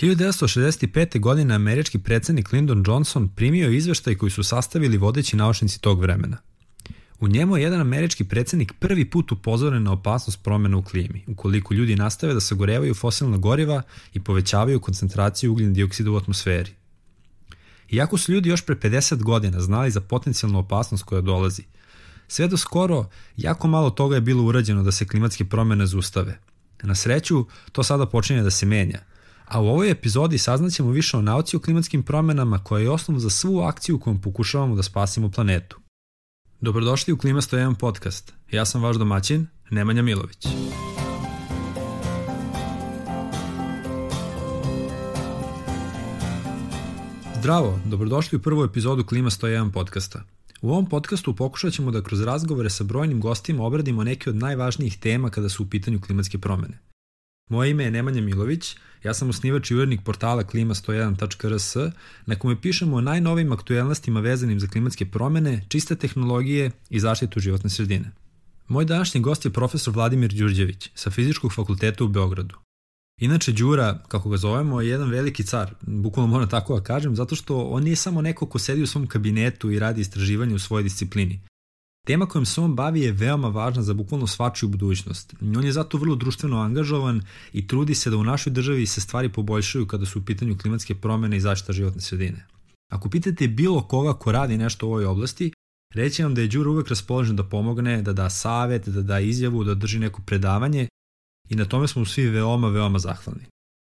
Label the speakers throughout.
Speaker 1: 1965. godine američki predsjednik Lyndon Johnson primio izveštaj koji su sastavili vodeći naučnici tog vremena. U njemu je jedan američki predsjednik prvi put upozoren na opasnost promjena u klimi, ukoliko ljudi nastave da sagorevaju fosilna goriva i povećavaju koncentraciju ugljen dioksida u atmosferi. Iako su ljudi još pre 50 godina znali za potencijalnu opasnost koja dolazi, sve do skoro jako malo toga je bilo urađeno da se klimatske promjene zaustave. Na sreću, to sada počinje da se menja, a u ovoj epizodi saznaćemo više o nauci o klimatskim promjenama koja je osnov za svu akciju kojom pokušavamo da spasimo planetu. Dobrodošli u Klima 101 podcast. Ja sam vaš domaćin, Nemanja Milović. Zdravo, dobrodošli u prvu epizodu Klima 101 podcasta. U ovom podcastu pokušat ćemo da kroz razgovore sa brojnim gostima obradimo neke od najvažnijih tema kada su u pitanju klimatske promjene. Moje ime je Nemanja Milović, ja sam osnivač i urednik portala klima101.rs na kome pišemo o najnovijim aktuelnostima vezanim za klimatske promjene, čiste tehnologije i zaštitu životne sredine. Moj današnji gost je profesor Vladimir Đurđević sa Fizičkog fakulteta u Beogradu. Inače, Đura, kako ga zovemo, je jedan veliki car, bukvalno moram tako da kažem, zato što on nije samo neko ko sedi u svom kabinetu i radi istraživanje u svojoj disciplini. Tema kojom se on bavi je veoma važna za bukvalno svačiju budućnost. On je zato vrlo društveno angažovan i trudi se da u našoj državi se stvari poboljšaju kada su u pitanju klimatske promjene i zaštita životne sredine. Ako pitate bilo koga ko radi nešto u ovoj oblasti, reći vam da je Đura uvek raspoložen da pomogne, da da savjet, da da izjavu, da drži neko predavanje i na tome smo svi veoma zahvalni.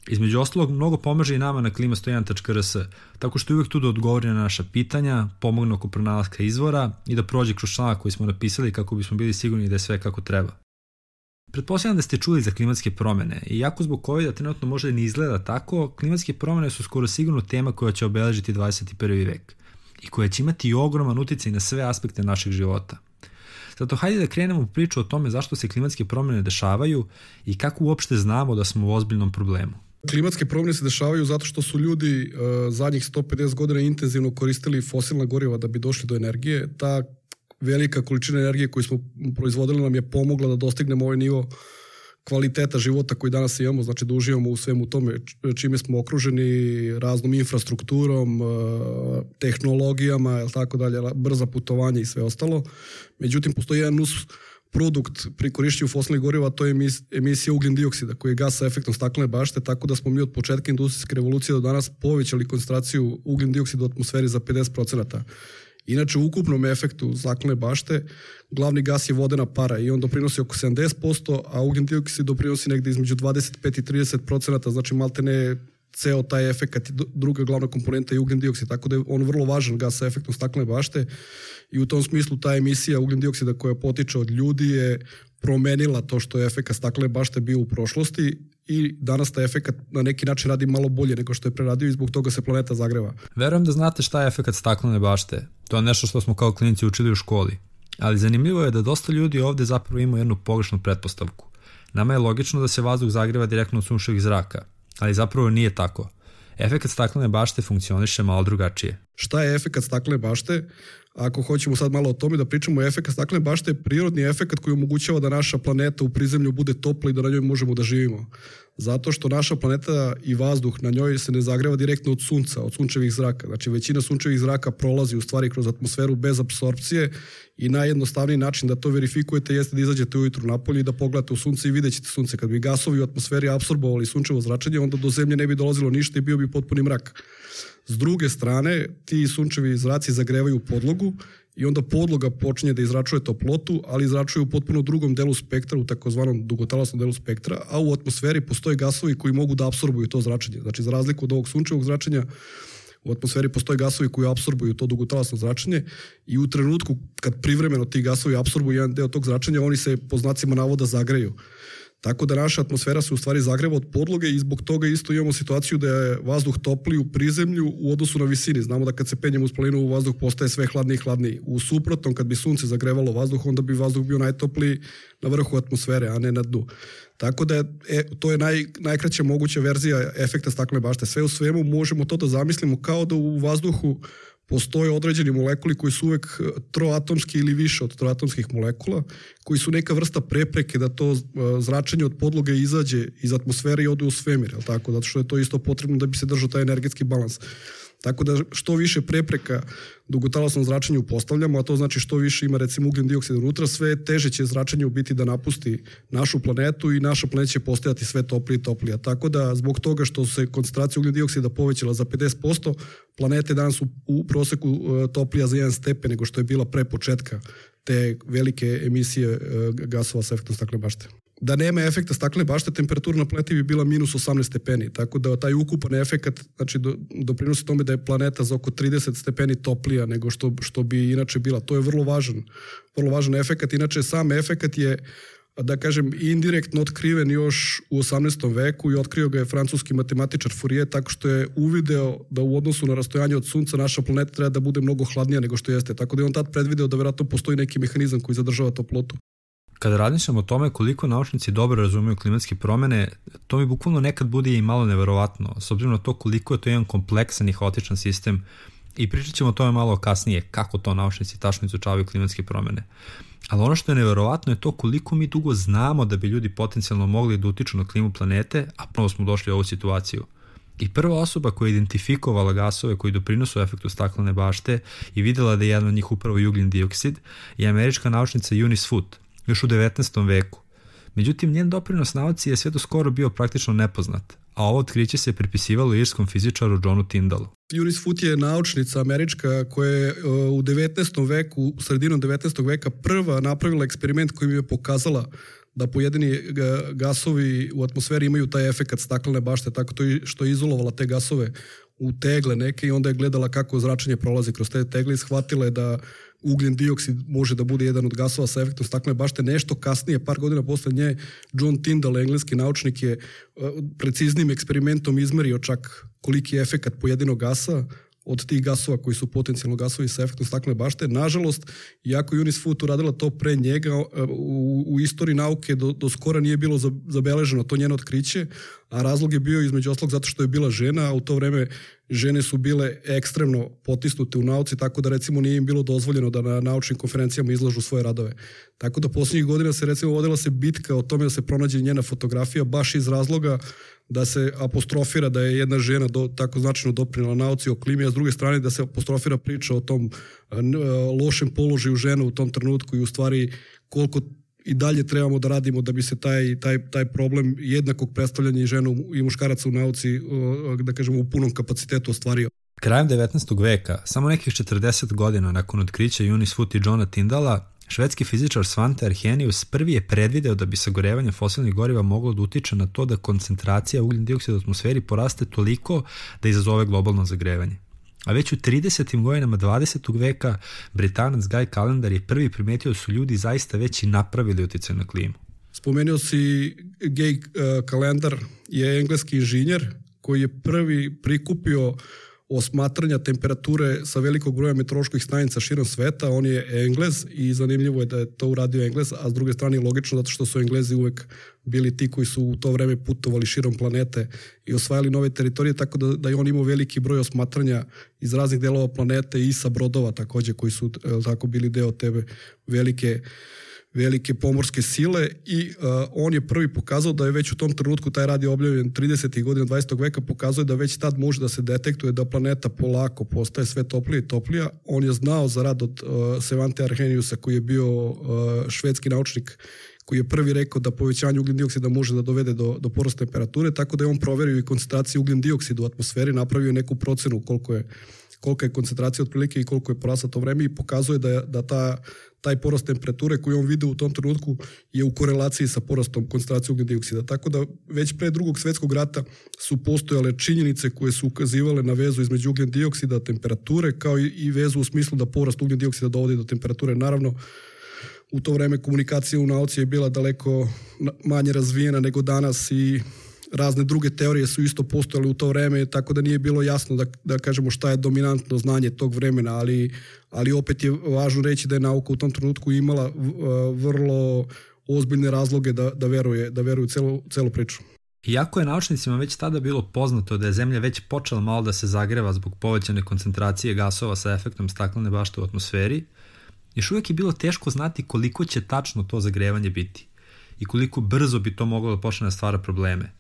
Speaker 1: Između ostalog, mnogo pomaže i nama na klima101.rs, tako što je uvijek tu da odgovori na naša pitanja, pomogne oko pronalaska izvora i da prođe kroz članak koji smo napisali kako bismo bili sigurni da je sve kako treba. Pretpostavljam da ste čuli za klimatske promjene i iako zbog COVID-a trenutno možda ne izgleda tako, klimatske promjene su skoro sigurno tema koja će obeležiti 21. vek i koja će imati ogroman uticaj na sve aspekte našeg života. Zato hajde da krenemo u priču o tome zašto se klimatske promjene dešavaju i kako uopšte znamo da smo u ozbiljnom problemu.
Speaker 2: Klimatske promjene se dešavaju zato što su ljudi zadnjih 150 godina intenzivno koristili fosilna goriva da bi došli do energije. Ta velika količina energije koju smo proizvodili nam je pomogla da dostignemo ovaj nivo kvaliteta života koji danas imamo, znači da uživamo u svemu tome čime smo okruženi, raznom infrastrukturom, tehnologijama, tako dalje, brza putovanja i sve ostalo. Međutim, postoji jedan produkt pri korišćenju fosilnih goriva, to je emisija ugljen dioksida koji je gas sa efektom staklene bašte, tako da smo mi od početka industrijske revolucije do danas povećali koncentraciju ugljen dioksida u atmosferi za 50%. Inače, u ukupnom efektu staklene bašte glavni gas je vodena para i on doprinosi oko 70%, a ugljen dioksid doprinosi negdje između 25 i 30%, znači maltene ceo taj efekat, druga glavna komponenta je ugljen dioksid, tako da je on vrlo važan gas sa efektom staklene bašte i u tom smislu ta emisija ugljen dioksida koja potiče od ljudi je promenila to što je efekat staklene bašte bio u prošlosti i danas taj efekat na neki način radi malo bolje nego što je preradio i zbog toga se planeta zagreva.
Speaker 1: Verujem da znate šta je efekat staklene bašte. To je nešto što smo kao klinici učili u školi. Ali zanimljivo je da dosta ljudi ovdje zapravo imaju jednu pogrešnu pretpostavku. Nama je logično da se vazduh zagreva direktno od sunčevih zraka, ali zapravo nije tako. Efekat staklene bašte funkcioniše malo drugačije.
Speaker 2: Šta je efekat staklene bašte? Ako hoćemo sad malo o tome da pričamo, efekat staklene bašte je prirodni efekat koji omogućava da naša planeta u prizemlju bude topla i da na njoj možemo da živimo. Zato što naša planeta i vazduh na njoj se ne zagreva direktno od sunca, od sunčevih zraka. Znači većina sunčevih zraka prolazi u stvari kroz atmosferu bez apsorpcije i najjednostavniji način da to verifikujete jeste da izađete ujutru napolje i da pogledate u sunce i vidjet ćete sunce. Kad bi gasovi u atmosferi apsorbovali sunčevo zračenje, onda do zemlje ne bi dolazilo ništa i bio bi potpuni mrak. S druge strane, ti sunčevi zraci zagrevaju podlogu i onda podloga počinje da izračuje toplotu, ali izračuje u potpuno drugom delu spektra, u takozvanom dugotalasnom delu spektra, a u atmosferi postoje gasovi koji mogu da apsorbuju to zračenje. Znači, za razliku od ovog sunčevog zračenja, u atmosferi postoje gasovi koji apsorbuju to dugotalasno zračenje i u trenutku kad privremeno ti gasovi apsorbuju jedan deo tog zračenja, oni se po znacima navoda zagreju. Tako da naša atmosfera se u stvari zagreva od podloge i zbog toga isto imamo situaciju da je vazduh topliji u prizemlju u odnosu na visini. Znamo da kad se penjemo uz planinu vazduh postaje sve hladniji i hladniji. U suprotnom, kad bi sunce zagrevalo vazduh, onda bi vazduh bio najtopliji na vrhu atmosfere, a ne na dnu. Tako da to je najkraća moguća verzija efekta staklene bašte. Sve u svemu možemo to da zamislimo kao da u vazduhu postoje određeni molekuli koji su uvek troatomski ili više od troatomskih molekula, koji su neka vrsta prepreke da to zračenje od podloge izađe iz atmosfere i ode u svemir, tako? Zato što je to isto potrebno da bi se držao taj energetski balans. Tako da što više prepreka dugotalasnom zračenju postavljamo, a to znači što više ima recimo ugljen dioksid unutra, sve teže će zračenje u biti da napusti našu planetu i naša planeta će postajati sve toplije i toplija. Tako da zbog toga što se koncentracija ugljen dioksida povećala za 50%, planeta je danas u proseku toplija za 1 stepen nego što je bila pre početka te velike emisije gasova sa efektom staklene bašte. Da nema efekta staklene bašte, temperatura na planeti bi bila minus 18 stepeni, tako da taj ukupan efekat znači, doprinosi tome da je planeta za oko 30 stepeni toplija nego što bi inače bila. To je vrlo važan efekat. Inače, sam efekat je, da kažem, indirektno otkriven još u 18. veku i otkrio ga je francuski matematičar Fourier tako što je uvideo da u odnosu na rastojanje od Sunca naša planeta treba da bude mnogo hladnija nego što jeste. Tako da je on tad predvideo da verovatno postoji neki mehanizam koji zadržava toplotu.
Speaker 1: Kada razmišljam o tome koliko naučnici dobro razumeju klimatske promene, to mi bukvalno nekad bude i malo neverovatno, s obzirom na to koliko je to jedan kompleksan i haotičan sistem i pričat ćemo o tome malo kasnije, kako to naučnici tačno izučavaju klimatske promene. Ali ono što je neverovatno je to koliko mi dugo znamo da bi ljudi potencijalno mogli da utiču na klimu planete, a ponovo smo došli u ovu situaciju. I prva osoba koja je identifikovala gasove koji doprinose efektu staklene bašte i videla da je jedan od njih upravo i ugljen dioksid je američka naučnica Eunice Foote, još u 19. veku. Međutim, njen doprinos nauci je sve do skoro bio praktično nepoznat, a ovo otkriće se pripisivalo irskom fizičaru Johnu Tyndallu.
Speaker 2: Eunice Foote je naučnica američka koja je u 19. veku, sredinom 19. veka prva napravila eksperiment kojim je pokazala da pojedini gasovi u atmosferi imaju taj efekat staklene bašte, tako to što je izolovala te gasove u tegle neke i onda je gledala kako zračenje prolazi kroz te tegle i shvatila je da ugljen dioksid može da bude jedan od gasova sa efektom staklene bašte. Nešto kasnije, par godina posle nje, John Tyndall, engleski naučnik, je preciznim eksperimentom izmerio čak koliki je efekat pojedinog gasa od tih gasova koji su potencijalno gasovi sa efektom staklene bašte. Nažalost, iako Eunice Foote uradila to pre njega, u istoriji nauke do skora nije bilo zabeleženo to njeno otkriće, a razlog je bio između ostalog zato što je bila žena, a u to vreme žene su bile ekstremno potisnute u nauci, tako da recimo nije im bilo dozvoljeno da na naučnim konferencijama izlažu svoje radove. Tako da posljednjih godina se recimo vodila se bitka o tome da se pronađe njena fotografija baš iz razloga da se apostrofira da je jedna žena tako značajno doprinela nauci o klimi, a s druge strane da se apostrofira priča o tom lošem položaju žena u tom trenutku i u stvari koliko i dalje trebamo da radimo da bi se taj problem jednakog predstavljanja i žena i muškaraca u nauci, da kažemo, u punom kapacitetu ostvario.
Speaker 1: Krajem 19. veka, samo nekih 40 godina nakon otkrića Eunice Foote i Johna Tyndalla, švedski fizičar Svante Arrhenius prvi je predvideo da bi sagorevanje fosilnih goriva moglo da utiče na to da koncentracija ugljen dioksida u atmosferi poraste toliko da izazove globalno zagrevanje. A već u 30. godinama 20. veka Britanac Guy Calendar je prvi primetio da su ljudi zaista već i napravili uticaj na klimu.
Speaker 2: Spomenuo si Guy Calendar je engleski inženjer koji je prvi prikupio osmatranja temperature sa velikog broja meteoroloških stanica širom sveta. On je Englez i zanimljivo je da je to uradio Englez, a s druge strane logično zato što su Englezi uvek bili ti koji su u to vreme putovali širom planete i osvajali nove teritorije, tako da je on imao veliki broj osmatranja iz raznih delova planete i sa brodova takođe koji su tako bili deo tebe velike pomorske sile i on je prvi pokazao da je već u tom trenutku, taj rad je objavljen 30. godina 20. veka, pokazuje da već tad može da se detektuje da planeta polako postaje sve toplija i toplija. On je znao za rad od Svante Arrheniusa koji je bio švedski naučnik koji je prvi rekao da povećanje ugljen dioksida može da dovede do porasta temperature, tako da je on proverio i koncentraciju ugljen dioksida u atmosferi, napravio neku procenu kolika je koncentracija otprilike i koliko je porasta to vreme i pokazuje da taj porast temperature koji on video u tom trenutku je u korelaciji sa porastom koncentracije ugljen dioksida. Tako da već pre Drugog svjetskog rata su postojale činjenice koje su ukazivale na vezu između ugljen dioksida, temperature, kao i vezu u smislu da porast ugljen dioksida dovodi do temperature. Naravno, u to vreme komunikacija u nauci je bila daleko manje razvijena nego danas i razne druge teorije su isto postojale u to vreme, tako da nije bilo jasno da kažemo šta je dominantno znanje tog vremena, ali opet je važno reći da je nauka u tom trenutku imala vrlo ozbiljne razloge da veruje celu priču.
Speaker 1: Iako je naučnicima već tada bilo poznato da je Zemlja već počela malo da se zagreva zbog povećane koncentracije gasova sa efektom staklene bašte u atmosferi, još uvijek je bilo teško znati koliko će tačno to zagrevanje biti i koliko brzo bi to moglo da počne da stvara probleme.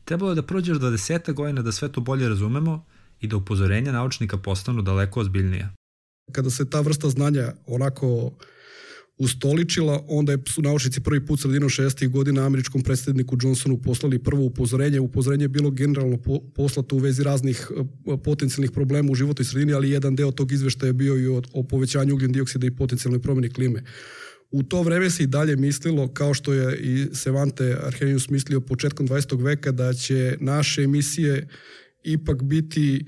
Speaker 1: Trebalo je da prođe 20 godina da sve to bolje razumemo i da upozorenja naučnika postanu daleko ozbiljnija.
Speaker 2: Kada se ta vrsta znanja onako ustoličila, onda su naučnici prvi put sredinom 60. godina američkom predsjedniku Johnsonu poslali prvo upozorenje. Upozorenje je bilo generalno poslato u vezi raznih potencijalnih problema u životnoj sredini, ali jedan deo tog izveštaja je bio i o povećanju ugljen dioksida i potencijalnoj promjeni klime. U to vreme se i dalje mislilo, kao što je i Svante Arrhenius mislio početkom 20. veka, da će naše emisije ipak biti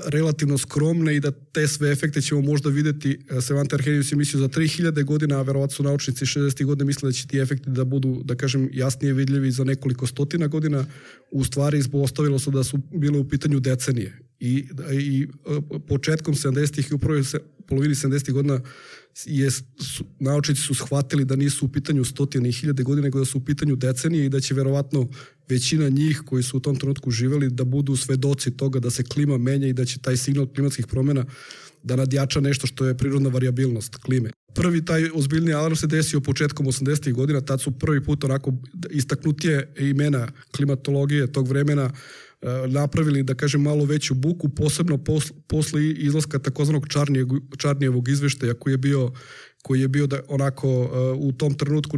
Speaker 2: relativno skromne i da te sve efekte ćemo možda vidjeti. Svante Arrhenius je mislio za 3000 godina, a verovatno su naučnici 60. godine mislili da će ti efekti da budu, da kažem, jasnije vidljivi za nekoliko stotina godina. U stvari ispostavilo se da su bile u pitanju decenije. I početkom 70. i u prvoj polovini 70. godina naučnici su shvatili da nisu u pitanju stotine i hiljade godina, nego da su u pitanju decenije i da će verovatno većina njih koji su u tom trenutku živjeli da budu svedoci toga da se klima menja i da će taj signal klimatskih promjena da nadjača nešto što je prirodna varijabilnost klime. Prvi taj ozbiljni alarm se desio početkom 80. godina, tad su prvi put onako istaknutije imena klimatologije tog vremena napravili, da kažem, malo veću buku, posebno posle izlaska takozvanog Čarnijevog izveštaja koji je bio da onako u tom trenutku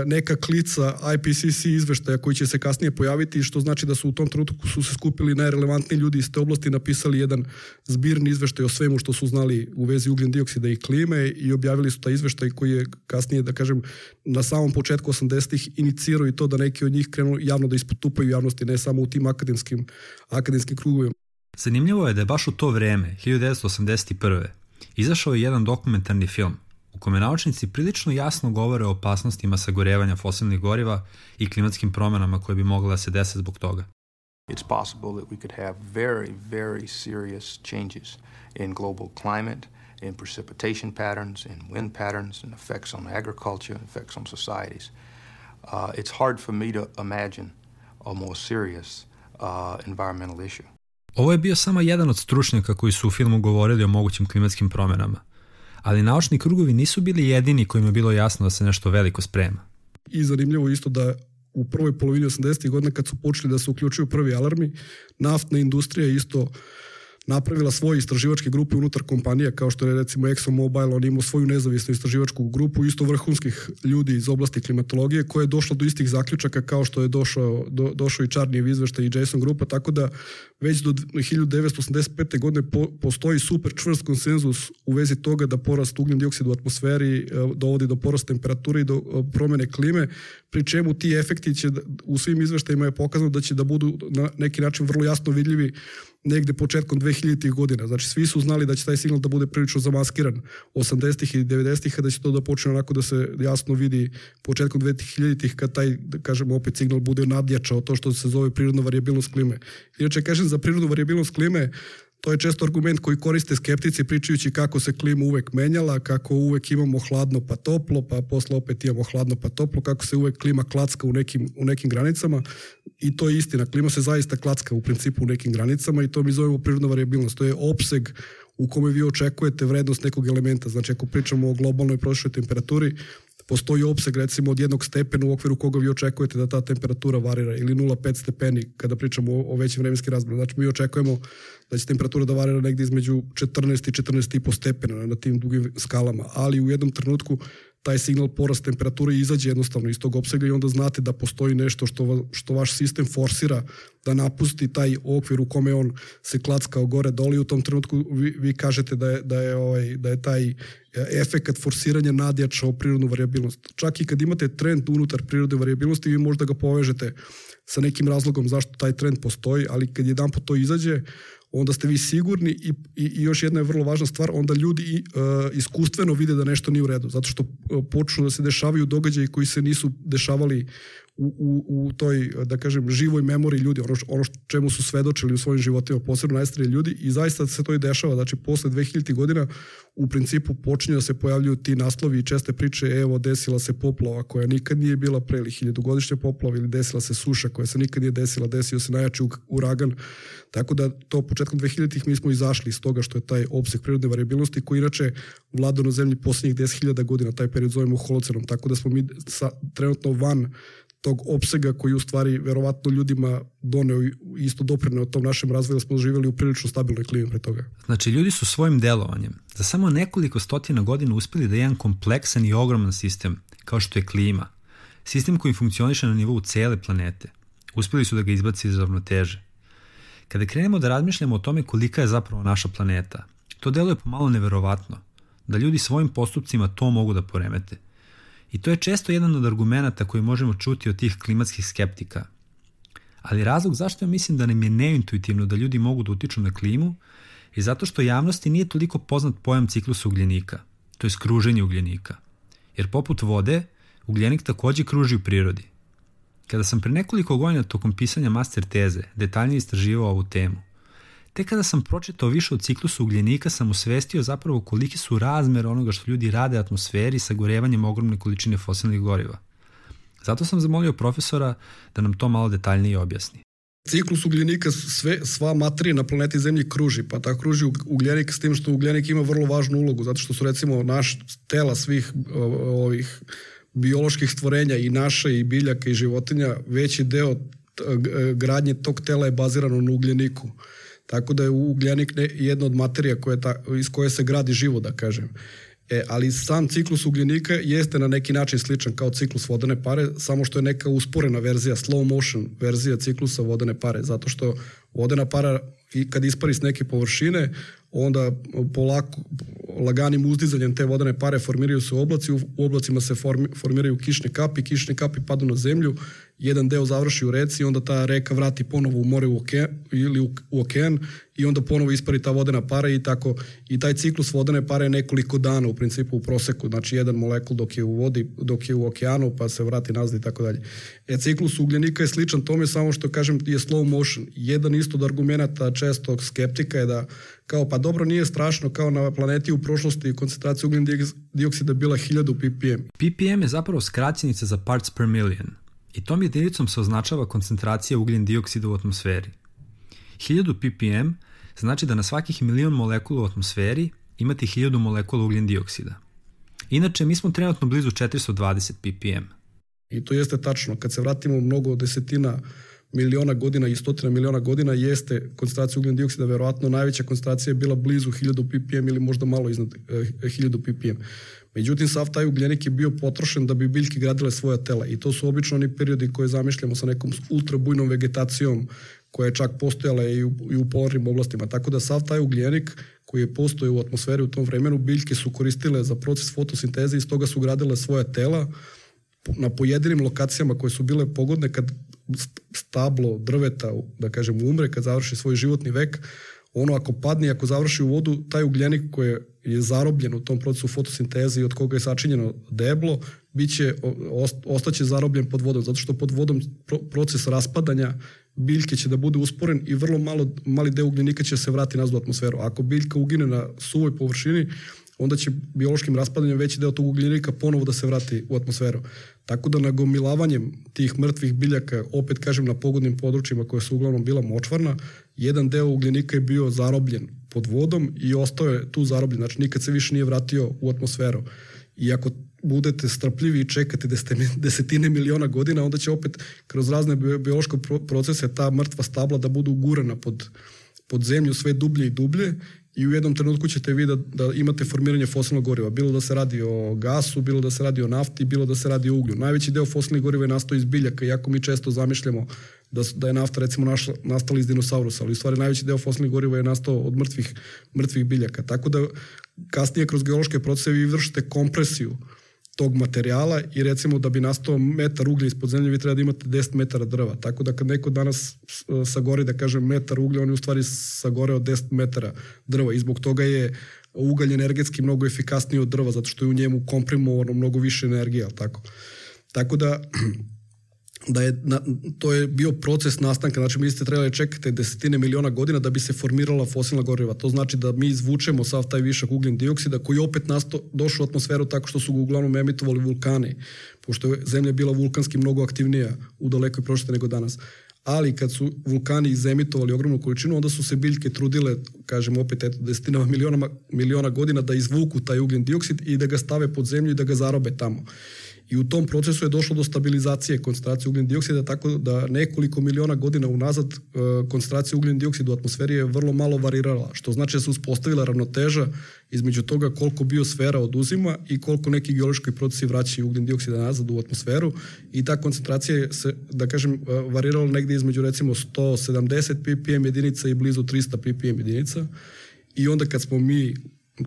Speaker 2: neka klica IPCC izveštaja koji će se kasnije pojaviti, što znači da su u tom trenutku su se skupili najrelevantniji ljudi iz te oblasti, napisali jedan zbirni izveštaj o svemu što su znali u vezi ugljen dioksida i klime i objavili su taj izveštaj koji je kasnije, da kažem, na samom početku 80-ih inicirao i to da neki od njih krenu javno da ispotupaju javnosti, ne samo u tim akademskim krugovima.
Speaker 1: Zanimljivo je da je baš u to vreme, 1981. izašao je jedan dokumentarni film u kome naučnici prilično jasno govore o opasnostima sagorevanja fosilnih goriva i klimatskim promjenama koje bi mogle da se dese zbog toga.
Speaker 3: It's possible that we could have very, very serious changes in global climate, in precipitation patterns, in wind patterns, and effects on agriculture, effects on societies. It's hard for me to imagine a more serious environmental issue.
Speaker 1: Ovo je bio samo jedan od stručnjaka koji su u filmu govorili o mogućim klimatskim promjenama, ali naučni krugovi nisu bili jedini kojima je bilo jasno da se nešto veliko sprema.
Speaker 2: I zanimljivo isto da u prvoj polovini 80. godina kad su počeli da se uključuju prvi alarmi, naftna industrija isto napravila svoje istraživačke grupe unutar kompanija, kao što je recimo ExxonMobil, on imao svoju nezavisnu istraživačku grupu, isto vrhunskih ljudi iz oblasti klimatologije, koja je došla do istih zaključaka kao što je došao i Čarnijev izveštaj i Jason grupa, tako da već do 1985. godine postoji super čvrst konsenzus u vezi toga da porast ugljen dioksida u atmosferi dovodi do porasta temperature i do promjene klime, pri čemu ti efekti će u svim izveštajima je pokazano da će da budu na neki način vrlo jasno vidljivi negde početkom 2000-ih godina. Znači, svi su znali da će taj signal da bude prilično zamaskiran 80-ih i 90-ih, a da će to da počne onako da se jasno vidi početkom 2000-ih kad taj, da kažemo, opet signal bude nadjačao to što se zove prirodna varijabilnost klime. Inače, kažem, za prirodnu varijabilnost klime to je često argument koji koriste skeptici pričajući kako se klima uvek menjala, kako uvek imamo hladno pa toplo, pa posle opet imamo hladno pa toplo, kako se uvek klima klacka u nekim granicama. I to je istina. Klima se zaista klacka u principu u nekim granicama i to mi zovemo prirodna varijabilnost. To je opseg u kome vi očekujete vrednost nekog elementa. Znači, ako pričamo o globalnoj prosječnoj temperaturi, postoji opseg recimo od 1 stepena u okviru koga vi očekujete da ta temperatura varira, ili 0,5 stepeni kada pričamo o većim vremenskim razmjerima. Znači, mi očekujemo da će temperatura da varira negdje između 14 i 14,5 stepena na tim dugim skalama, ali u jednom trenutku taj signal porast temperature izađe jednostavno iz tog opsega i onda znate da postoji nešto što vaš sistem forsira da napusti taj okvir u kome on se klackao gore dole i u tom trenutku vi kažete da je taj efekat forsiranja nadjačao prirodnu varijabilnost. Čak i kad imate trend unutar prirodne varijabilnosti, vi možda ga povežete sa nekim razlogom zašto taj trend postoji, ali kad jedanput to izađe, onda ste vi sigurni i još jedna je vrlo važna stvar, onda ljudi iskustveno vide da nešto nije u redu, zato što počnu da se dešavaju događaji koji se nisu dešavali u toj, da kažem, živoj memoriji ljudi, ono čemu su svedočili u svojim životima, posebno najstariji ljudi, i zaista se to i dešava. Znači, posle 2000 godina u principu počinju da se pojavljuju ti naslovi i česte priče, evo, desila se poplava koja nikad nije bila pre, ili 1000-godišnja poplava, ili desila se suša koja se nikad nije desila, desio se najjači uragan. Tako da to početkom 2000-ih mi smo izašli iz toga što je taj opseg prirodne variabilnosti koji inače vlada na zemlji posljednjih 10.000 godina, taj period zovemo holocenom, tako da smo mi trenutno van tog opsega koji u stvari verovatno ljudima doneo isto doprineo tom našem razvoju, da smo živjeli u prilično stabilnoj klimi pre toga.
Speaker 1: Znači, ljudi su svojim delovanjem za samo nekoliko stotina godina uspeli da jedan kompleksan i ogroman sistem, kao što je klima, sistem koji funkcioniše na nivou cele planete, uspeli su da ga izbaci iz ravnoteže. Kada krenemo da razmišljamo o tome kolika je zapravo naša planeta, to deluje pomalo neverovatno, da ljudi svojim postupcima to mogu da poremete. I to je često jedan od argumenata koji možemo čuti od tih klimatskih skeptika. Ali razlog zašto ja mislim da nam je neintuitivno da ljudi mogu da utiču na klimu je zato što javnosti nije toliko poznat pojam ciklusa ugljenika, to je kruženje ugljenika. Jer poput vode, ugljenik takođe kruži u prirodi. Kada sam pre nekoliko godina tokom pisanja master teze detaljnije istraživao ovu temu, tek kada sam pročitao više o ciklusu ugljenika sam osvestio zapravo koliki su razmere onoga što ljudi rade atmosferi sagorevanjem ogromne količine fosilnih goriva. Zato sam zamolio profesora da nam to malo detaljnije objasni.
Speaker 2: Ciklus ugljenika, sva materija na planeti Zemlji kruži, pa tako kruži ugljenik, s tim što ugljenik ima vrlo važnu ulogu, zato što su recimo naš tela svih ovih bioloških stvorenja i naša i biljaka i životinja, veći deo gradnje tog tela je bazirano na ugljeniku. Tako da je ugljenik jedna od materija iz koje se gradi život, da kažem. Ali sam ciklus ugljenika jeste na neki način sličan kao ciklus vodene pare, samo što je neka usporena verzija, slow motion verzija ciklusa vodene pare, zato što vodena para kad ispari s neke površine, onda polako, laganim uzdizanjem te vodene pare formiraju se oblaci, u oblacima se formiraju kišne kapi padnu na zemlju, jedan deo završi u reci, onda ta reka vrati ponovo u more ili u okean i onda ponovo ispari ta vodena para i tako. I taj ciklus vodene pare je nekoliko dana u principu u proseku, znači jedan molekul dok je u vodi, dok je u okeanu, pa se vrati nazad i tako dalje. Ciklus ugljenika je sličan tome, samo što kažem je slow motion. Jedan isto od argumenata često skeptika je da kao pa dobro nije strašno kao na planeti u prošlosti koncentracija ugljen dioksida bila 1000 ppm.
Speaker 1: ppm je zapravo skraćenica za parts per million i tom jedinicom se označava koncentracija ugljen dioksida u atmosferi. 1000 ppm znači da na svakih 1.000.000 molekula u atmosferi imate 1000 molekula ugljen dioksida. Inače, mi smo trenutno blizu 420 ppm.
Speaker 2: I to jeste tačno. Kad se vratimo mnogo desetina miliona godina i stotina miliona godina, jeste koncentracija ugljen dioksida, verovatno najveća koncentracija je bila blizu 1000 ppm ili možda malo iznad 1000 ppm. Međutim, sav taj ugljenik je bio potrošen da bi biljke gradile svoja tela i to su obično oni periodi koje zamišljamo sa nekom ultrabujnom vegetacijom koja je čak postojala i u polarnim oblastima. Tako da sav taj ugljenik koji je postojao u atmosferi u tom vremenu, biljke su koristile za proces fotosinteze i iz toga su gradile svoja tela na pojedinim lokacijama koje su bile pogodne kad stablo drveta, da kažem, umre, kad završi svoj životni vek, ono ako padne, ako završi u vodu, taj ugljenik koji je zarobljen u tom procesu fotosinteze i od koga je sačinjeno deblo, ostaće zarobljen pod vodom, zato što pod vodom proces raspadanja biljke će da bude usporen i vrlo mali deo ugljenika će se vrati nazad u atmosferu. Ako biljka ugine na suvoj površini, onda će biološkim raspadanjem veći deo tog ugljenika ponovo da se vrati u atmosferu. Tako da nagomilavanjem tih mrtvih biljaka, opet kažem na pogodnim područjima koje su uglavnom bila močvarna, jedan deo ugljenika je bio zarobljen pod vodom i ostao je tu zarobljen, znači nikad se više nije vratio u atmosferu. I ako budete strpljivi i čekate desetine miliona godina, onda će opet kroz razne biološke procese ta mrtva stabla da budu ugurana pod zemlju sve dublje i dublje i u jednom trenutku ćete vidjeti da imate formiranje fosilnog goriva. Bilo da se radi o gasu, bilo da se radi o nafti, bilo da se radi o uglju. Najveći deo fosilnih goriva je nastao iz biljaka, iako mi često zamišljamo da je nafta recimo nastala iz dinosaurusa, ali u stvari najveći deo fosilnih goriva je nastao od mrtvih biljaka. Tako da kasnije kroz geološke procese vi vršite kompresiju tog materijala i recimo da bi nastao metar uglja ispod zemlje vi treba da imate 10 metara drva. Tako da kad neko danas sagori, da kažem, metar uglja, on je u stvari sagoreo 10 metara drva i zbog toga je ugalj energetski mnogo efikasniji od drva, zato što je u njemu komprimovano mnogo više energije, tako da to je bio proces nastanka, znači mi ste trebali čekati desetine miliona godina da bi se formirala fosilna goriva. To znači da mi izvučemo sav taj višak ugljen dioksida koji je opet došao u atmosferu tako što su ga uglavnom emitovali vulkani, pošto je Zemlja bila vulkanski mnogo aktivnija u dalekoj prošlosti nego danas. Ali kad su vulkani izemitovali ogromnu količinu, onda su se biljke trudile, kažem opet, desetinama miliona godina da izvuku taj ugljen dioksid i da ga stave pod zemlju i da ga zarobe tamo. I u tom procesu je došlo do stabilizacije koncentracije ugljen dioksida, tako da nekoliko miliona godina unazad koncentracija ugljen dioksida u atmosferi je vrlo malo varirala, što znači da se uspostavila ravnoteža između toga koliko biosfera oduzima i koliko neki geološki procesi vraćaju ugljen dioksida nazad u atmosferu i ta koncentracija se, da kažem, varirala negdje između recimo 170 ppm jedinica i blizu 300 ppm jedinica. I onda kad smo mi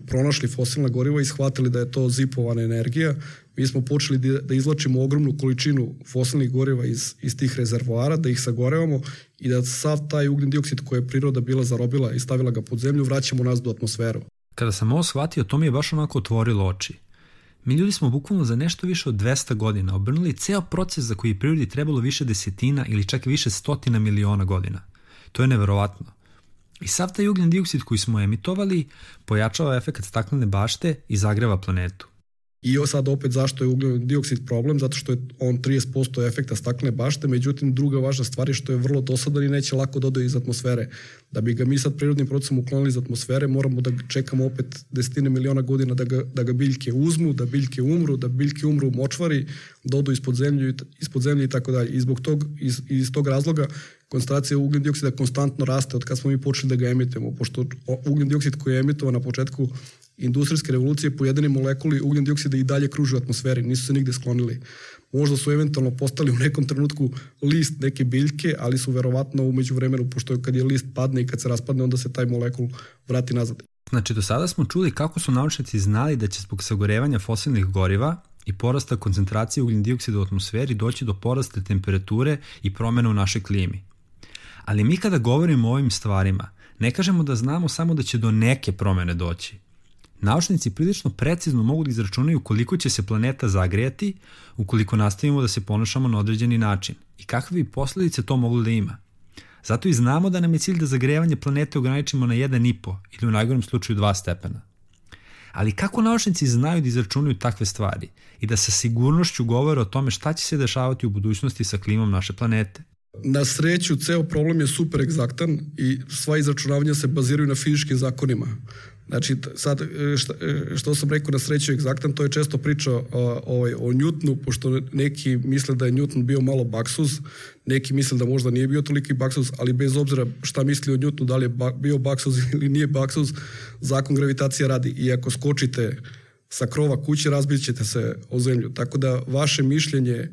Speaker 2: pronašli fosilna goriva i shvatili da je to zipovana energija, mi smo počeli da izvlačimo ogromnu količinu fosilnih goriva iz tih rezervoara, da ih sagorevamo i da sav taj ugljen dioksid koji je priroda bila zarobila i stavila ga pod zemlju vraćamo nazad u atmosferu.
Speaker 1: Kada sam ovo shvatio, to mi je baš onako otvorilo oči. Mi ljudi smo bukvalno za nešto više od 200 godina obrnuli ceo proces za koji je prirodi trebalo više desetina ili čak više stotina miliona godina. To je neverovatno. I sav taj ugljen dioksid koji smo emitovali pojačava efekat staklene bašte i zagreva planetu.
Speaker 2: I sad opet zašto je ugljen dioksid problem? Zato što je on 30% efekta staklene bašte, međutim druga važna stvar je što je vrlo dosadan i neće lako dodati iz atmosfere. Da bi ga mi sad prirodnim procesom uklonili iz atmosfere, moramo da čekamo opet desetine miliona godina da ga biljke uzmu, da biljke umru u močvari, dodu ispod zemlje i tako dalje. I iz tog razloga koncentracija ugljen dioksida konstantno raste od kad smo mi počeli da ga emitujemo, pošto ugljen dioksid koji je emitovan na početku industrijske revolucije, pojedini molekuli ugljen dioksida i dalje kruže u atmosferi, nisu se nigde sklonili. Možda su eventualno postali u nekom trenutku list neke biljke, ali su verovatno u međuvremenu, pošto kad je list padne i kad se raspadne, onda se taj molekul vrati nazad.
Speaker 1: Znači, do sada smo čuli kako su naučnici znali da će zbog sagorevanja fosilnih goriva i porasta koncentracije ugljen dioksida u atmosferi doći do porasta temperature i promjena u našoj klimi. Ali mi kada govorimo o ovim stvarima, ne kažemo da znamo samo da će do neke promjene doći. Naučnici prilično precizno mogu da izračunaju koliko će se planeta zagrejati ukoliko nastavimo da se ponašamo na određeni način i kakve bi posljedice to moglo da ima. Zato i znamo da nam je cilj da zagrevanje planete ograničimo na 1,5 ili u najgorem slučaju 2 stepena. Ali kako naučnici znaju da izračunaju takve stvari i da sa sigurnošću govore o tome šta će se dešavati u budućnosti sa klimom naše planete?
Speaker 2: Na sreću, ceo problem je super egzaktan i sva izračunavanja se baziraju na fizičkim zakonima. Znači, sad, što sam rekao na sreću egzaktan, to je često priča o Newtonu, pošto neki misle da je Newton bio malo baksuz, neki misle da možda nije bio toliki baksuz, ali bez obzira šta misli o Newtonu, da li je bio baksuz ili nije baksuz, zakon gravitacije radi. I ako skočite sa krova kuće, razbit ćete se o zemlju. Tako da vaše mišljenje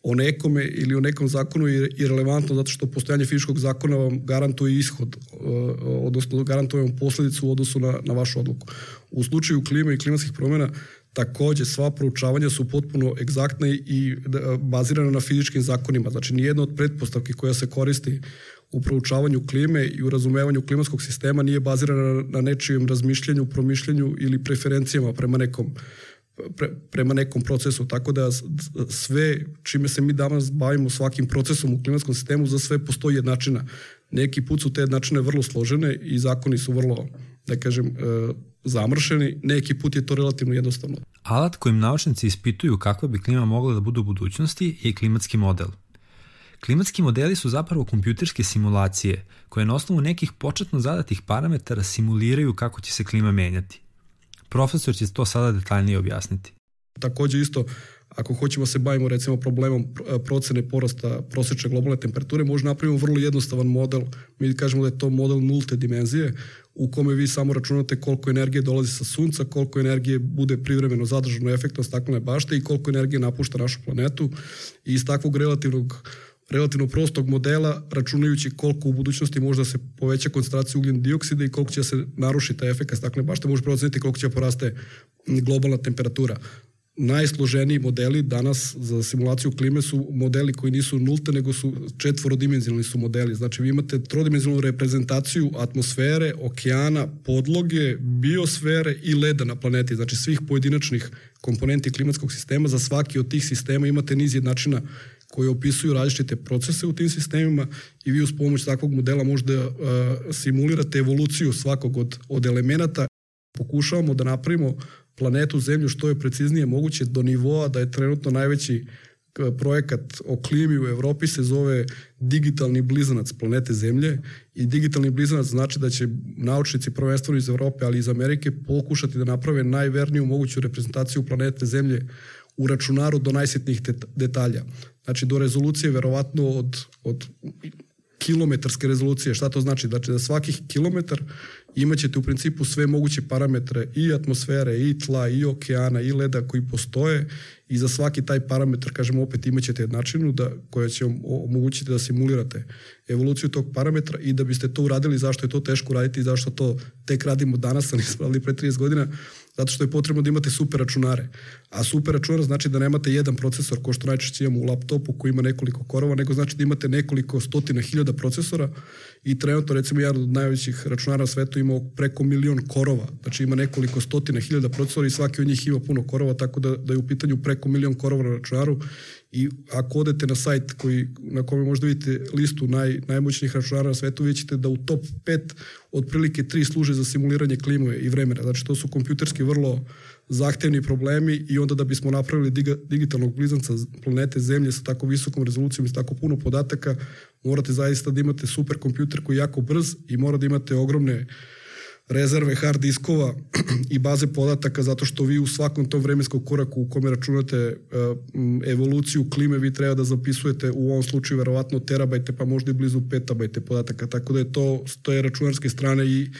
Speaker 2: o nekome ili o nekom zakonu je irelevantno zato što postojanje fizičkog zakona vam garantuje ishod, odnosno garantuje vam posljedicu u odnosu na vašu odluku. U slučaju klime i klimatskih promjena također sva proučavanja su potpuno egzaktna i bazirana na fizičkim zakonima. Znači nijedna od pretpostavki koja se koristi u proučavanju klime i u razumevanju klimatskog sistema nije bazirana na nečijem razmišljanju, promišljanju ili preferencijama prema nekom procesu, tako da sve čime se mi danas bavimo svakim procesom u klimatskom sistemu, za sve postoji jednačina. Neki put su te jednačine vrlo složene i zakoni su vrlo, da kažem, zamršeni, neki put je to relativno jednostavno.
Speaker 1: Alat kojim naučnici ispituju kakva bi klima mogla da bude u budućnosti je klimatski model. Klimatski modeli su zapravo kompjuterske simulacije koje na osnovu nekih početno zadatih parametara simuliraju kako će se klima menjati. Profesor će to sada detaljnije objasniti.
Speaker 2: Također isto, ako hoćemo se bavimo recimo problemom procene porasta prosječne globalne temperature, možemo napraviti vrlo jednostavan model. Mi kažemo da je to model nulte dimenzije u kome vi samo računate koliko energije dolazi sa sunca, koliko energije bude privremeno zadržano efektom staklene bašte i koliko energije napušta našu planetu. I iz takvog relativno prostog modela, računajući koliko u budućnosti možda se poveća koncentracija ugljen dioksida i koliko će se narušiti taj efekt staklene bašte, može proceniti koliko će poraste globalna temperatura. Najsloženiji modeli danas za simulaciju klime su modeli koji nisu nulte, nego su četvorodimenzionalni su modeli. Znači vi imate trodimenzionalnu reprezentaciju atmosfere, okeana, podloge, biosfere i leda na planeti. Znači svih pojedinačnih komponenti klimatskog sistema. Za svaki od tih sistema imate niz jednačina koji opisuju različite procese u tim sistemima i vi uz pomoć takvog modela možete simulirate evoluciju svakog od elemenata. Pokušavamo da napravimo planetu Zemlju što je preciznije moguće do nivoa da je trenutno najveći projekat o klimi u Evropi se zove digitalni blizanac planete Zemlje i digitalni blizanac znači da će naučnici prvenstveno iz Evrope, ali i iz Amerike pokušati da naprave najverniju moguću reprezentaciju planete Zemlje u računaru do najsitnijih detalja. Znači do rezolucije verovatno od kilometarske rezolucije. Šta to znači? Znači da svakih kilometar imaćete u principu sve moguće parametre i atmosfere, i tla, i okeana, i leda koji postoje i za svaki taj parametar, kažemo opet, imaćete jednačinu koja će omogućiti da simulirate evoluciju tog parametra i da biste to uradili, zašto je to teško uraditi i zašto to tek radimo danas, a nismo radili pre 30 godina, zato što je potrebno da imate super računare. A super računar znači da nemate jedan procesor, ko što najčešće imamo u laptopu koji ima nekoliko korova, nego znači da imate nekoliko stotina hiljada procesora i trenutno recimo jedan od najvećih računara na svetu ima preko 1.000.000 korova. Znači ima nekoliko stotina hiljada procesora i svaki od njih ima puno korova, tako da je u pitanju preko 1.000.000 korova na računaru i ako odete na sajt na kome možda vidite listu najmoćnijih računara na svetu, vidjet ćete da u top 5 otprilike 3 služe za simuliranje klime i vremena. Znači to su kompjuterski vrlo zahtevni problemi i onda da bismo napravili digitalnog blizanca planete Zemlje sa tako visokom rezolucijom i sa tako puno podataka, morate zaista da imate super kompjuter koji je jako brz i mora da imate ogromne rezerve hard diskova i baze podataka zato što vi u svakom tom vremenskom koraku u kome računate evoluciju klime vi treba da zapisujete u ovom slučaju verovatno terabajte pa možda i blizu petabajte podataka, tako da je to s te računarske strane i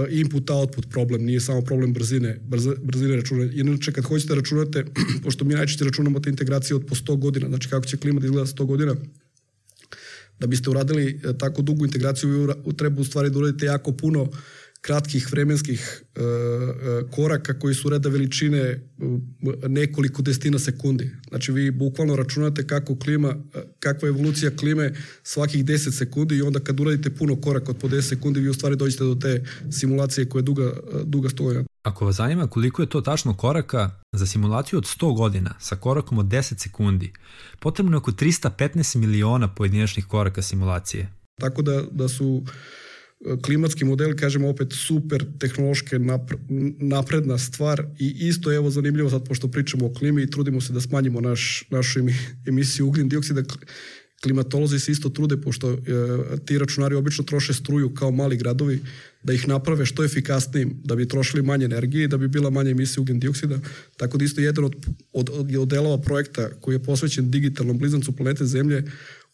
Speaker 2: input-output problem, nije samo problem brzine računanja. Inače, kad hoćete računate, pošto mi najčešće računamo te integracije od po 100 godina, znači kako će klima da izgleda 100 godina, da biste uradili tako dugu integraciju, vi treba u stvari da uradite jako puno kratkih vremenskih koraka koji su reda veličine nekoliko desetina sekundi. Znači vi bukvalno računate kakva je evolucija klime svakih 10 sekundi i onda kad uradite puno koraka od po 10 sekundi vi u stvari dođete do te simulacije koja je duga 100 godina.
Speaker 1: Ako vas zanima koliko je to tačno koraka, za simulaciju od 100 godina sa korakom od 10 sekundi potrebno je oko 315 miliona pojedinačnih koraka simulacije.
Speaker 2: Tako da su klimatski model, kažemo opet, super tehnološke napredna stvar i isto evo zanimljivo sad pošto pričamo o klimi i trudimo se da smanjimo našu emisiju ugljen dioksida, klimatolozi se isto trude pošto ti računari obično troše struju kao mali gradovi da ih naprave što efikasnijim, da bi trošili manje energije i da bi bila manja emisija ugljen dioksida. Tako da isto jedan od delova projekta koji je posvećen digitalnom blizancu planete Zemlje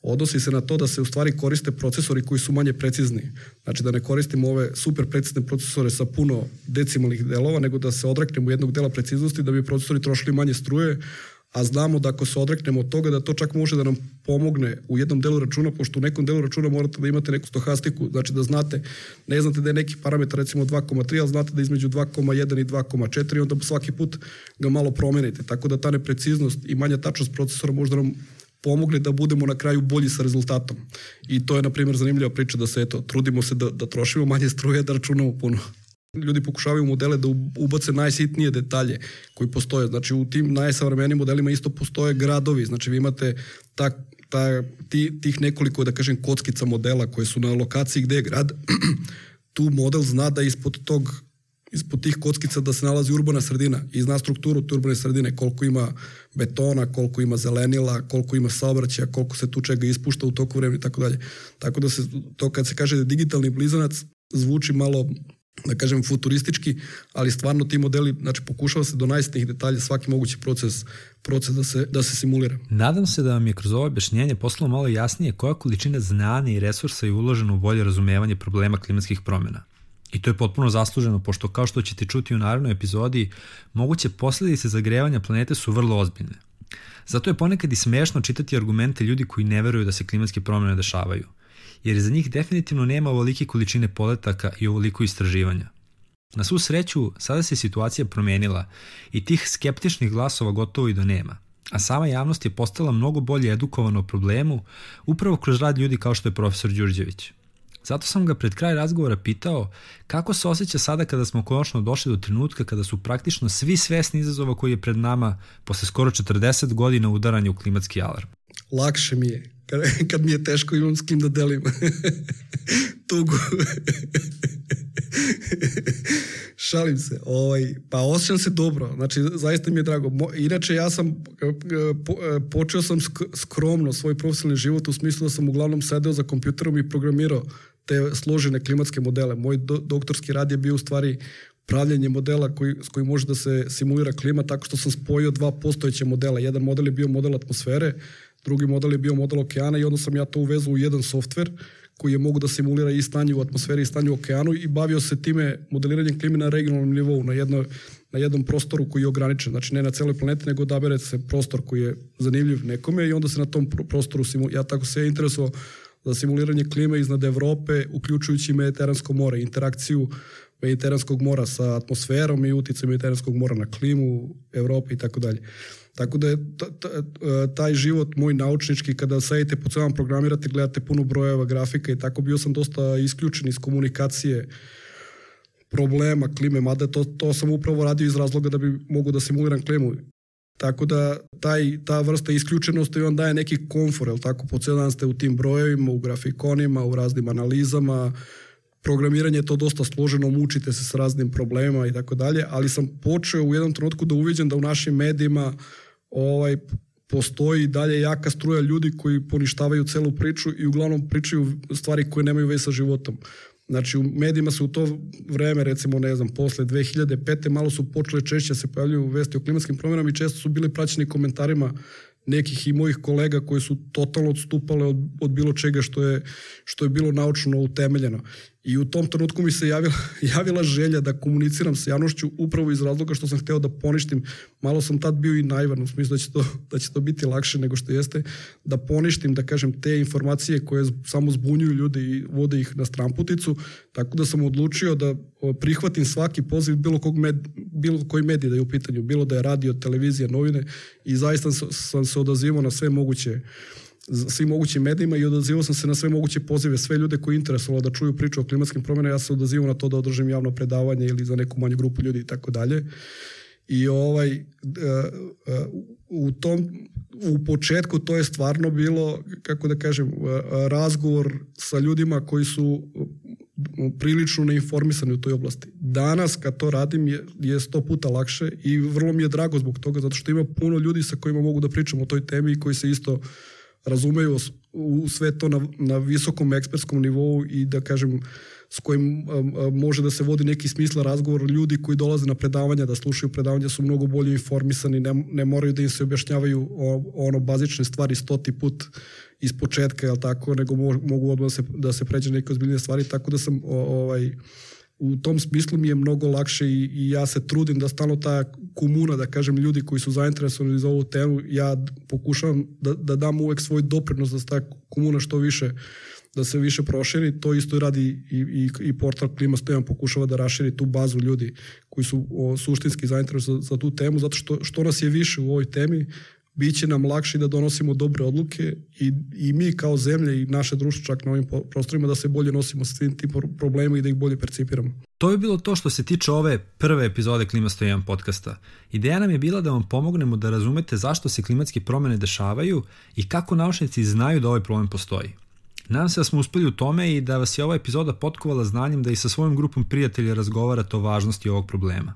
Speaker 2: odnosi se na to da se u stvari koriste procesori koji su manje precizni. Znači da ne koristimo ove super precizne procesore sa puno decimalnih delova, nego da se odreknemo jednog dela preciznosti da bi procesori trošili manje struje, a znamo da ako se odreknemo od toga da to čak može da nam pomogne u jednom delu računa, pošto u nekom delu računa morate da imate neku stohastiku, znači da znate, ne znate da je neki parametar recimo 2,3, ali znate da je između 2,1 i 2,4 i onda svaki put ga malo promenite. Tako da ta nepreciznost i manja tačnost procesora možda nam pomogne da budemo na kraju bolji sa rezultatom. I to je, na primjer, zanimljiva priča da se, trudimo se da trošimo manje struje, da računamo puno. Ljudi pokušavaju modele da ubace najsitnije detalje koji postoje. Znači, u tim najsavremenijim modelima isto postoje gradovi. Znači, vi imate tih nekoliko, da kažem, kockica modela koje su na lokaciji gde je grad. Tu model zna da ispod tih kockica da se nalazi urbana sredina i zna strukturu te urbane sredine, koliko ima betona, koliko ima zelenila, koliko ima saobraćaja, koliko se tu čega ispušta u toku vremena i tako dalje. Tako da se to kad se kaže da je digitalni blizanac zvuči malo, da kažem, futuristički, ali stvarno ti modeli, znači pokušava se do najsitnijih detalja svaki mogući proces da se simulira.
Speaker 1: Nadam se da vam je kroz ovo objašnjenje postalo malo jasnije koja količina znanja i resursa je uložena u bolje razumevanje problema klimatskih promjena. I to je potpuno zasluženo, pošto kao što ćete čuti u narednoj epizodi, moguće posljedice zagrevanja planete su vrlo ozbiljne. Zato je ponekad i smešno čitati argumente ljudi koji ne veruju da se klimatske promjene dešavaju, jer za njih definitivno nema ovolike količine podataka i ovoliko istraživanja. Na svu sreću, sada se situacija promenila i tih skeptičnih glasova gotovo i do nema, a sama javnost je postala mnogo bolje edukovana o problemu upravo kroz rad ljudi kao što je profesor Đurđević. Zato sam ga pred kraj razgovora pitao kako se osjeća sada kada smo konačno došli do trenutka kada su praktično svi svesni izazova koji je pred nama posle skoro 40 godina udaranja u klimatski alarm.
Speaker 2: Lakše mi je. Kad mi je teško, imam s kim da delim tugu. Šalim se. Pa osjećam se dobro. Znači, zaista mi je drago. Inače, ja sam počeo sam skromno svoj profesionalni život u smislu da sam uglavnom sedeo za kompjuterom i programirao te složene klimatske modele. Moj doktorski rad je bio u stvari pravljenje modela s kojim može da se simulira klima tako što sam spojio dva postojeće modela. Jedan model je bio model atmosfere, drugi model je bio model okeana i onda sam ja to uvezao u jedan softver koji je mogu da simulira i stanje u atmosferi i stanje u okeanu i bavio se time modeliranjem klime na regionalnom nivou, na jednom prostoru koji je ograničen. Znači ne na celoj planeti, nego odabere se prostor koji je zanimljiv nekome i onda se na tom prostoru ja tako se interesovao za simuliranje klime iznad Evrope, uključujući Mediteransko more, interakciju Mediteranskog mora sa atmosferom i utjecaj Mediteranskog mora na klimu, Evrope i tako dalje. Tako da je taj život moj naučnički, kada sedite po celom programirate, gledate puno brojeva, grafika i tako, bio sam dosta isključen iz komunikacije problema klime, mada to sam upravo radio iz razloga da bi mogu da simuliram klimu. Tako da ta vrsta isključenosti vam daje neki komfor, jel tako, po cijel dan ste u tim brojevima, u grafikonima, u raznim analizama, programiranje je to dosta složeno, mučite se s raznim problemima i tako dalje, ali sam počeo u jednom trenutku da uviđam da u našim medijima postoji dalje jaka struja ljudi koji poništavaju celu priču i uglavnom pričaju stvari koje nemaju veze sa životom. Znači u medijima se u to vreme, recimo ne znam, posle 2005. malo su počele češće se pojavljuju vesti o klimatskim promjenama i često su bili praćeni komentarima nekih i mojih kolega koji su totalno odstupale od bilo čega što je bilo naučno utemeljeno. I u tom trenutku mi se javila želja da komuniciram sa javnošću upravo iz razloga što sam hteo da poništim. Malo sam tad bio i naivan u smislu da će to biti lakše nego što jeste, da poništim, da kažem, te informacije koje samo zbunjuju ljude i vode ih na stranputicu, tako da sam odlučio da prihvatim svaki poziv bilo koji medij da je u pitanju, bilo da je radio, televizija, novine i zaista sam se odazivao na svim mogućim medijima i odazivao sam se na sve moguće pozive, sve ljude koji interesovalo da čuju priču o klimatskim promjenama, ja sam odazivao na to da održim javno predavanje ili za neku manju grupu ljudi i tako dalje. I u početku to je stvarno bilo, kako da kažem, razgovor sa ljudima koji su prilično neinformisani u toj oblasti. Danas kad to radim je 100 puta lakše i vrlo mi je drago zbog toga, zato što ima puno ljudi sa kojima mogu da pričam o toj temi i koji se isto razumeju u sve to na visokom ekspertskom nivou i da kažem s kojim može da se vodi neki smisla razgovor. Ljudi koji dolaze na predavanja, da slušaju predavanja su mnogo bolje informisani, ne moraju da im se objašnjavaju bazične stvari 100 put iz početka, jel tako, nego mogu odmah da se pređe neke ozbiljne stvari, tako da sam u tom smislu mi je mnogo lakše i ja se trudim da stalno ta komuna, da kažem, ljudi koji su zainteresovani za ovu temu, ja pokušavam da dam uvek svoj doprinos da se ta komuna što više, da se više proširi. To isto radi i portal Klima 101 pokušava da raširi tu bazu ljudi koji su suštinski zainteresovani za tu temu, zato što nas je više u ovoj temi, bit će nam lakše da donosimo dobre odluke i mi kao zemlja i naše društvo čak na ovim prostorima da se bolje nosimo s svim tim problemima i da ih bolje percipiramo.
Speaker 1: To je bilo to što se tiče ove prve epizode Klima 101 podcasta. Ideja nam je bila da vam pomognemo da razumete zašto se klimatske promjene dešavaju i kako naučnici znaju da ovaj problem postoji. Nadam se da smo uspeli u tome i da vas je ova epizoda potkovala znanjem da i sa svojom grupom prijatelja razgovarate o važnosti ovog problema.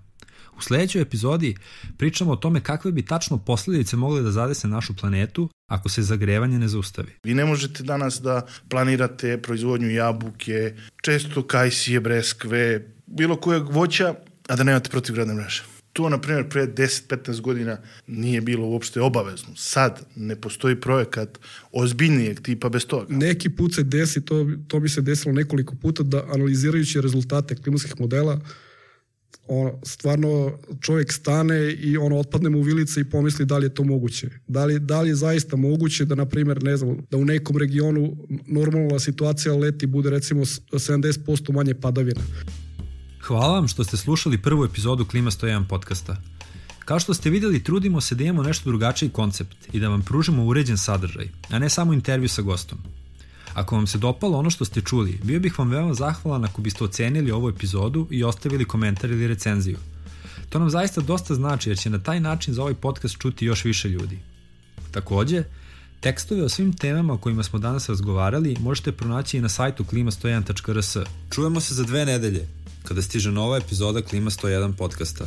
Speaker 1: U sljedećoj epizodi pričamo o tome kakve bi tačno posljedice mogle da zadese našu planetu ako se zagrevanje ne zaustavi.
Speaker 4: Vi ne možete danas da planirate proizvodnju jabuke, često kajsije, breskve, bilo kojeg voća, a da nemate protivgradne mreže. To, na primjer, pre 10-15 godina nije bilo uopšte obavezno. Sad ne postoji projekat ozbiljnijeg tipa bez toga.
Speaker 2: Neki put se desi, to bi se desilo nekoliko puta, da analizirajući rezultate klimatskih modela, stvarno čovjek stane i otpadne mu vilice i pomisli da li je to moguće. Da li je zaista moguće da, na primjer, ne znam, da u nekom regionu normalna situacija leti bude recimo 70% manje padavina.
Speaker 1: Hvala vam što ste slušali prvu epizodu Klima 101 podcasta. Kao što ste vidjeli, trudimo se da imamo nešto drugačiji koncept i da vam pružimo uređen sadržaj, a ne samo intervju sa gostom. Ako vam se dopalo ono što ste čuli, bio bih vam veoma zahvalan ako biste ocenili ovu epizodu i ostavili komentar ili recenziju. To nam zaista dosta znači jer će na taj način za ovaj podcast čuti još više ljudi. Takođe, tekstove o svim temama o kojima smo danas razgovarali možete pronaći i na sajtu klima101.rs. Čujemo se za 2 nedelje, kada stiže nova epizoda Klima 101 podcasta.